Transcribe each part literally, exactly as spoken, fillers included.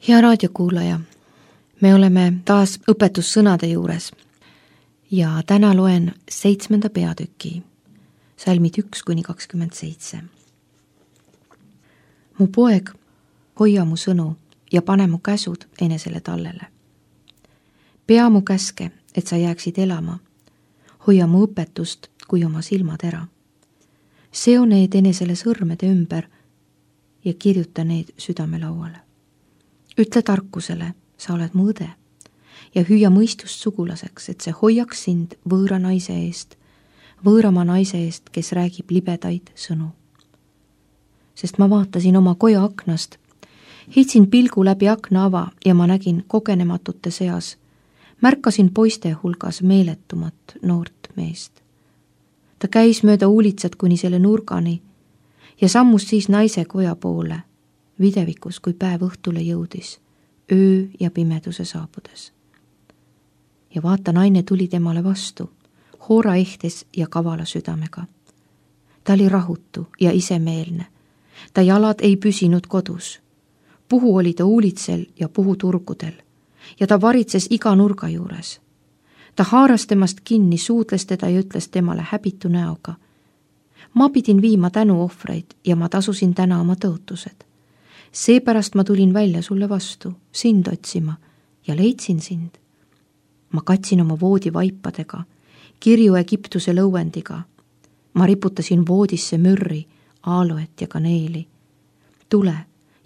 Hea raadiokuulaja, me oleme taas õpetussõnade juures ja täna loen seitsmenda peatüki, salmid üks kuni kakskümmend seitse. Mu poeg, hoia mu sõnu ja pane mu käsud enesele tallele. Pea mu käske, et sa jääksid elama. Hoia mu õpetust kui oma silmatera. Seo need enesele sõrmede ümber ja kirjuta need südamelauale. Ütle tarkusele, sa oled mu õde ja hüüa mõistust sugulaseks, et see hoiaks sind võõra naise eest, võõrama naise eest, kes räägib libedaid sõnu. Sest ma vaatasin oma koja aknast, heitsin pilgu läbi akna ava ja ma nägin kogenematute seas, märkasin poiste hulgas meeletumat noort meest. Ta käis mööda uulitsat kuni selle nurgani ja sammus siis naise koja poole, videvikus, kui päev õhtule jõudis, öö ja pimeduse saabudes. Ja vaata, naine tuli temale vastu, hoora ehtes ja kavala südamega. Ta oli rahutu ja isemeelne. Ta jalad ei püsinud kodus. Puhu oli ta uulitsel ja puhu turgudel ja ta varitses iga nurga juures. Ta haaras temast kinni, suudles teda ja ütles temale häbitu näoga. Ma pidin viima tänuohvreid ja ma tasusin täna oma tõotused. Seepärast ma tulin välja sulle vastu, sind otsima ja leidsin sind. Ma katsin oma voodi vaipadega, kirju Egiptuse lõuendiga. Ma riputasin voodisse mürri, aaloet ja kaneeli. Tule,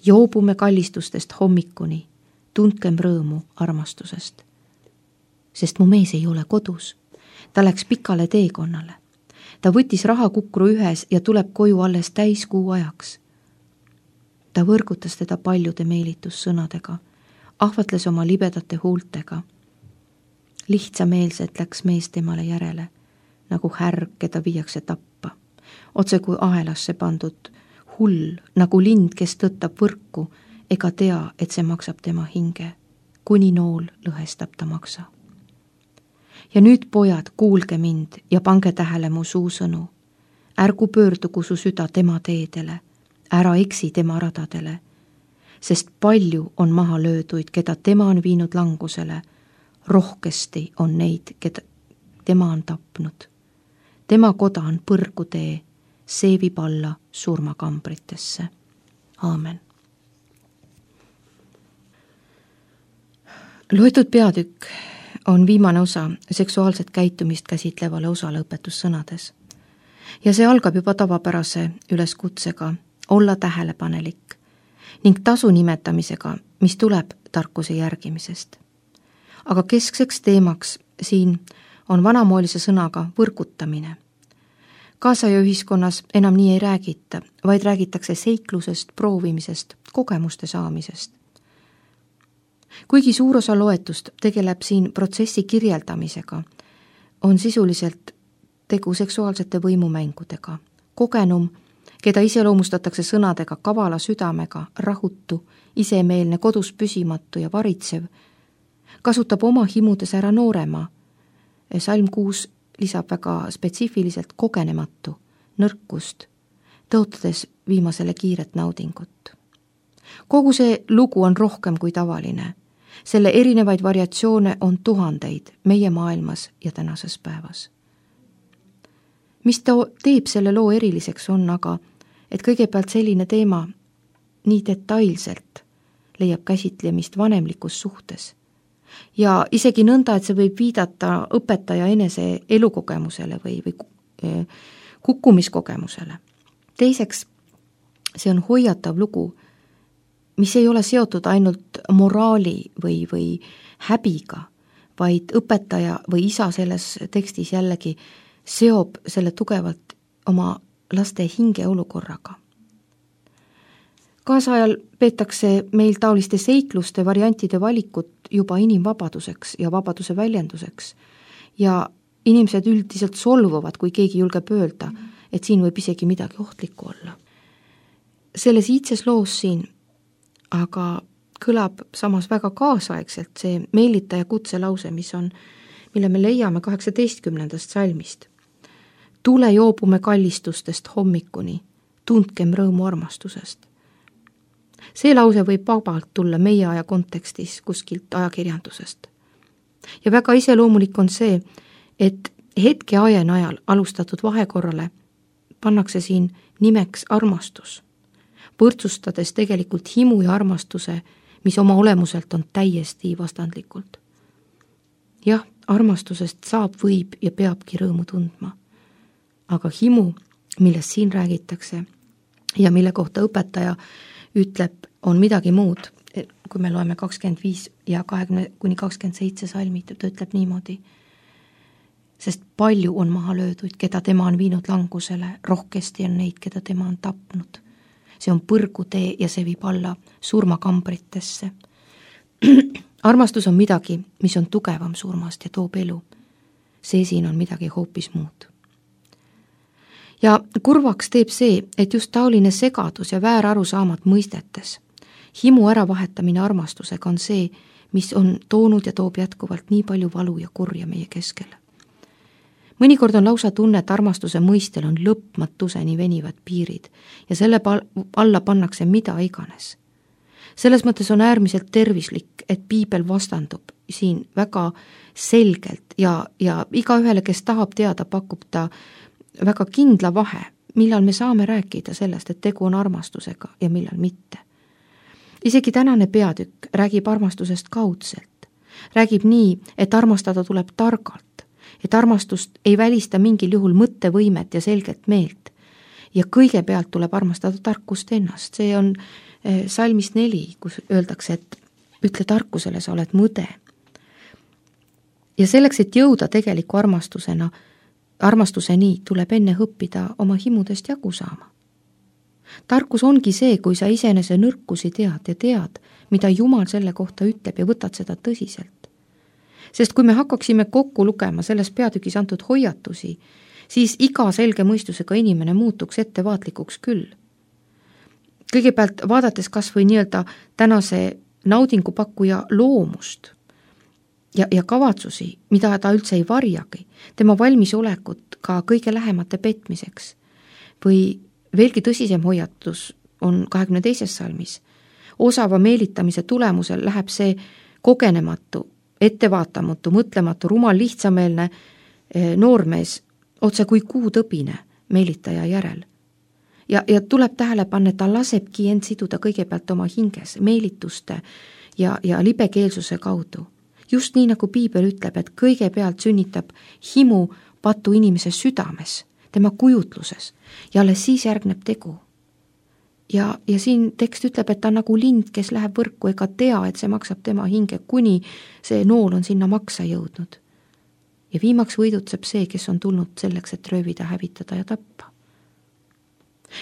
joobume kallistustest hommikuni, tundkem rõõmu armastusest. Sest mu mees ei ole kodus. Ta läks pikale teekonnale. Ta võttis rahakukru ühes ja tuleb koju alles täiskuu ajaks. Ta võrgutas teda paljude meelitussõnadega, ahvatles oma libedate huultega. Lihtsameelselt läks mees temale järele, nagu härg, keda viiakse tappa. Otse kui ahelasse pandud hull, nagu lind, kes tõttab võrku, ega tea, et see maksab tema hinge. Kuni nool lõhestab ta maksa. Ja nüüd, pojad, kuulge mind ja pange tähele mu suusõnu. Ärgu pöördugu su süda tema teedele, ära eksi tema radadele, sest palju on maha lööduid, keda tema on viinud langusele, rohkesti on neid, keda tema on tapnud. Tema koda on põrgutee, see viib alla surmakambritesse. Aamen. Loetud peatükk on viimane osa seksuaalset käitumist käsitlevale osale õpetussõnades. Ja see algab juba tavapärase üleskutsega olla tähelepanelik ning tasu nimetamisega, mis tuleb tarkuse järgimisest. Aga keskseks teemaks siin on vanamoelise sõnaga võrgutamine. Kaasaja ühiskonnas enam nii ei räägita, vaid räägitakse seiklusest, proovimisest, kogemuste saamisest. Kuigi suur osa loetust tegeleb siin protsessi kirjeldamisega, on sisuliselt tegu seksuaalsete võimumängudega. Kogenum, keda iseloomustatakse sõnadega kavala südamega, rahutu, isemeelne, kodus püsimatu ja varitsev, kasutab oma himudes ära noorema. Salm kuus lisab väga spetsiifiliselt kogenematu, nõrkust, tõotades viimasele kiiret naudingut. Kogu see lugu on rohkem kui tavaline. Selle erinevaid variatsioone on tuhandeid meie maailmas ja tänases päevas. Mis ta teeb selle loo eriliseks on aga, et kõigepealt selline teema nii detailselt leiab käsitlemist vanemlikus suhtes ja isegi nõnda, et see võib viidata õpetaja enese elukogemusele või, või kukkumiskogemusele. Teiseks, see on hoiatav lugu, mis ei ole seotud ainult moraali või, või häbiga, vaid õpetaja või isa selles tekstis jällegi seob selle tugevalt oma laste hingeolukorraga. Kaasajal peetakse meil taoliste seikluste variantide valikut juba inimvabaduseks ja vabaduse väljenduseks ja inimesed üldiselt solvuvad, kui keegi julgeb öelda, et siin võib isegi midagi ohtlikku olla. Selles iidses loos siin aga kõlab samas väga kaasaegselt see meelitaja kutselause, mis on, mille me leiame kaheksateistkümnendast salmist. Tule joobume kallistustest hommikuni, tundkem rõõmu armastusest. see lause võib vabalt tulla meie aja kontekstis kuskilt ajakirjandusest. Ja väga iseloomulik on see, et hetke aja najal alustatud vahekorrale pannakse siin nimeks armastus, võrdsustades tegelikult himu ja armastuse, mis oma olemuselt on täiesti vastandlikult. Jah, armastusest saab, võib ja peabki rõõmu tundma, aga himu, millest siin räägitakse ja mille kohta õpetaja ütleb, on midagi muud. Kui me loeme kakskümmend viis ja kahekümne kuni kakskümmend seitse salmid, ta ütleb niimoodi, sest palju on maha löödud, keda tema on viinud langusele, rohkesti on neid, keda tema on tapnud. See on põrgutee ja see viib alla surmakambritesse. Armastus on midagi, mis on tugevam surmast ja toob elu. See siin on midagi hoopis muud. Ja kurvaks teeb see, et just taoline segadus ja väärarusaamad mõistetes, himu äravahetamine armastusega on see, mis on toonud ja toob jätkuvalt nii palju valu ja kurja meie keskele. Mõnikord on lausa tunne, et armastuse mõistel on lõpmatuseni venivad piirid ja selle alla pannakse mida iganes. Selles mõttes on äärmiselt tervislik, et piibel vastandub siin väga selgelt ja, ja igaühele, kes tahab teada, pakub ta väga kindla vahe, millal me saame rääkida sellest, et tegu on armastusega ja millal mitte. Isegi tänane peatükk räägib armastusest kaudselt. Räägib nii, et armastada tuleb targalt, et armastust ei välista mingil juhul mõttevõimet ja selget meelt. Ja kõigepealt tuleb armastada tarkust ennast. See on salmis neli, kus öeldakse, et ütle tarkusele, sa oled mõde. Ja selleks, et jõuda tegeliku armastusena, armastuseni tuleb enne õppida oma himudest jagu saama. Tarkus ongi see, kui sa isenese nõrkusi tead ja tead, mida Jumal selle kohta ütleb ja võtad seda tõsiselt. Sest kui me hakkaksime kokku lugema selles peatükis antud hoiatusi, siis iga selge mõistusega inimene muutuks ettevaatlikuks küll. Kõigepealt vaadates kas või nii-öelda tänase naudingupakkuja loomust ja, ja kavatsusi, mida ta üldse ei varjagi, tema valmisolekut ka kõige lähemate petmiseks. Või veelgi tõsisem hoiatus on kahekümne teises salmis. Osava meelitamise tulemusel läheb see kogenematu, ettevaatamatu, mõtlematu, rumal, lihtsameelne noormees otse kui kuutõbine meelitaja järel. Ja, ja tuleb tähele panna, et ta lasebki end siduda kõigepealt oma hinges, meelituste ja, ja libekeelsuse kaudu. Just nii, nagu piibel ütleb, et kõigepealt sünnitab himu patu inimese südames, tema kujutluses ja alles siis järgneb tegu. Ja, ja siin tekst ütleb, et ta on nagu lind, kes läheb võrku ega tea, et see maksab tema hinge, kuni see nool on sinna maksa jõudnud. Ja viimaks võidutseb see, kes on tulnud selleks, et röövida, hävitada ja tappa.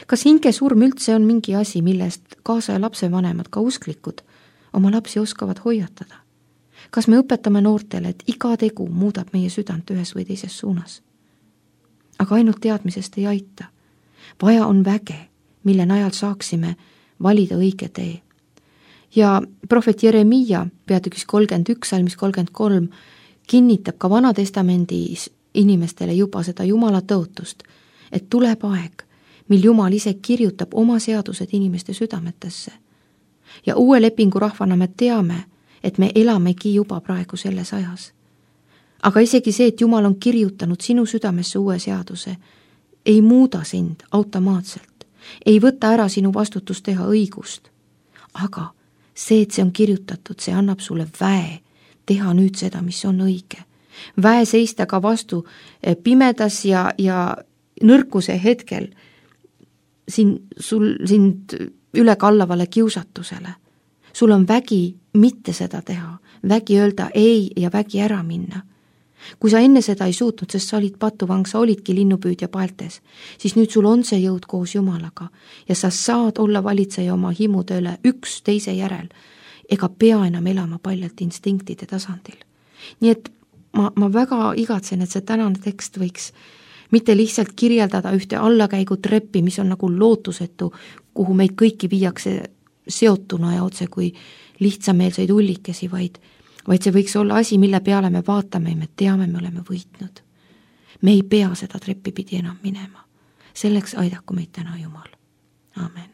Kas hingesurm üldse on mingi asi, millest kaasa ja lapsevanemad, ka usklikud, oma lapsi oskavad hoiatada? Kas me õpetame noortele, et iga tegu muudab meie südant ühes või teises suunas? Aga ainult teadmisest ei aita. Vaja on väge, mille najal saaksime valida õige tee. Ja prohvet Jeremiia peatükis kolmkümmend üks, salmis kolmkümmend kolm kinnitab ka Vanatestamendis inimestele juba seda Jumala tõotust, et tuleb aeg, mil Jumal ise kirjutab oma seadused inimeste südametesse. Ja uue lepingu rahvana me teame, et me elamegi juba praegu selles ajas. Aga isegi see, et Jumal on kirjutanud sinu südamesse uue seaduse, ei muuda sind automaatselt, ei võta ära sinu vastutus teha õigust. Aga see, et see on kirjutatud, see annab sulle väe teha nüüd seda, mis on õige. Väe seista ka vastu pimedas ja, ja nõrkuse hetkel siin, sul, sind üle kallavale kiusatusele. Sul on vägi mitte seda teha, vägi öelda ei ja vägi ära minna. Kui sa enne seda ei suutnud, sest sa olid patuvang, sa olidki linnupüüdja paeltes, siis nüüd sul on see jõud koos Jumalaga ja sa saad olla valitseja oma himude üle üks teise järel ega pea enam elama paljalt instinktide tasandil. Nii et ma, ma väga igatsen, et see tänane tekst võiks mitte lihtsalt kirjeldada ühte allakäigu treppi, mis on nagu lootusetu, kuhu meid kõiki viiakse seotuna ja otse kui lihtsameelseid ullikesi, vaid, vaid see võiks olla asi, mille peale me vaatame ja me teame, me oleme võitnud. Me ei pea seda treppi pidi enam minema. Selleks aidaku meid täna Jumal. Amen.